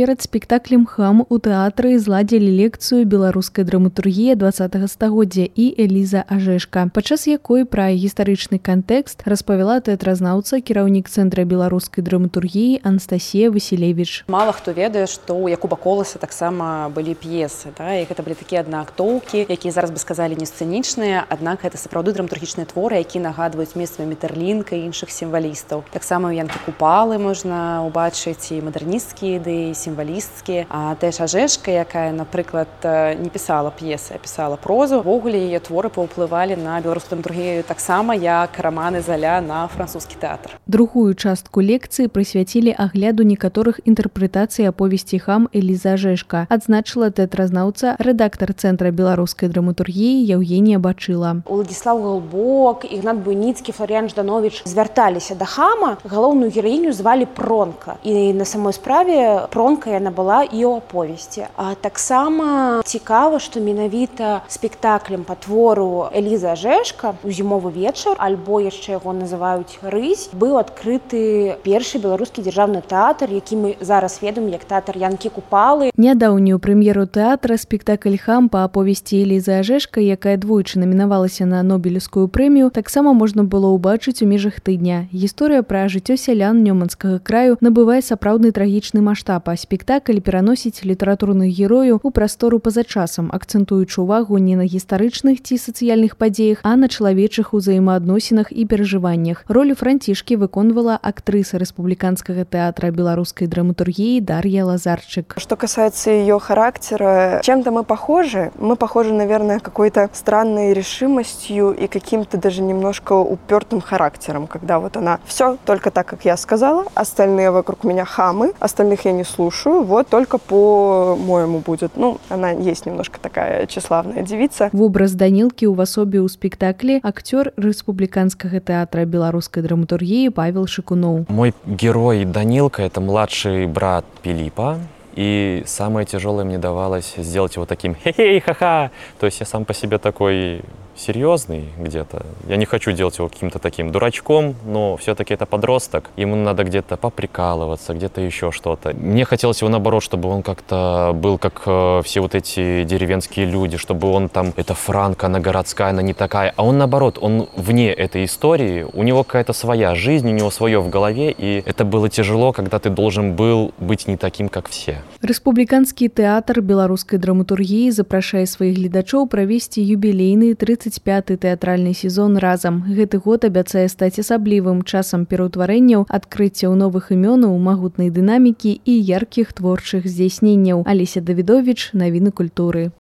Перад спектаклем «Хам» у тэатры зладзілі лекцыю беларускай драматургіі 20-го стагоддзя і Эліза Ажэшка, падчас якой пра гістарычны кантэкст распавяла тэатразнаўца, кіраўнік Цэнтра беларускай драматургіі Анастасія Васілевіч. Мала хто ведае, што ў Якуба Коласа таксама былі п'есы, і гэта былі такія аднаактоўкі, якія зараз бы сказалі не сцэнічныя, аднак гэта сапраўды драматургічныя творы, якія нагадваюць месцамі Метерлінка і іншых сімвалістаў. Таксама ў Янкі Купалы можна ўбачыць і мадэрнісцкія ідэі, сімвалісцкія. А тэж Ажэшка, якая, напрыклад, не пісала п'есы, а пісала прозу, увогуле яе творы паўплывалі на беларускую драматургію таксама, як раманы Заля на французскі тэатр. Другую частку лекцыі прысвяцілі агляду некаторых інтэрпрэтацый аповесці «Хам» Эліза Ажэшка, адзначыла тэатразнаўца, рэдактар Цэнтра беларускай драматургіі Яўгенія Бачыла. Уладзіслаў Галбок, Ігнат Буйніцкі, Фларіян Ждановіч звярталіся да Хама. Галоўную гераіню звалі Пронка. І на самой справе Пронка яна была і ў аповесці. А таксама цікава, што менавіта спектаклем па твору Эліза Ажэшка у зімовы вечар, альбо яшчэ яго называюць «Рысь», быў адкрыты першы беларускі дзяржаўны тэатр, які мы зараз ведаем як тэатр Янкі Купалы. Нядаўнюю прэм'еру тэатра спектакль «Хам» па аповесці Элізы Ажэшка, якая двойчы намінавалася на Нобелеўскую прэмію, таксама можна было ўбачыць у межах тыдня. Гісторыя пра жыццё сялян Нёманскага краю набывае сапраўдны трагічны маштаб, а спектакль пераносіць літаратурных герою ў прастору па-за часам, акцэнтуючы ўвагу не на гістарычных ці сацыяльных падзеях, а на чалавечых узаемаадносінах і перажываннях. Ролю Францішкі выконвала актрыса Рэспубликанского театра белорусской драматургии Дарья Лазарчик. Что касается ее характера, чем-то мы похожи. Мы похожи, наверное, какой-то странной решимостью и каким-то даже немножко упертым характером, когда вот она все только так, как я сказала, остальные вокруг меня хамы, остальных я не слушаю, вот только по-моему будет. Ну, она есть немножко такая тщеславная девица. Вобраз Данилки у асобе у спектакле актер Республиканского театра белорусской драматургии Павел Шикунов. Мой герой Данилка — это младший брат Пилиппа. И самое тяжелое мне давалось сделать его таким хе-хей, ха-ха. То есть я сам по себе такой серьезный где-то. Я не хочу делать его каким-то таким дурачком, но все-таки это подросток. Ему надо где-то поприкалываться, где-то еще что-то. Мне хотелось его наоборот, чтобы он как-то был как все вот эти деревенские люди, чтобы он там, это Франко, она городская, она не такая. А он наоборот, он вне этой истории, у него какая-то своя жизнь, у него свое в голове, и это было тяжело, когда ты должен был быть не таким, как все. Рэспубліканскі тэатр беларускай драматургіі запрашае сваіх гледачоў правесці юбілейны 35-й тэатральны сезон разам. Гэты год абяцае стаць асаблівым часам пераўтварэнняў, адкрыццяў новых імёнаў, магутнай дынамікі і яркіх творчых здзяйсненняў. Алеся Давідовіч, навіны культуры.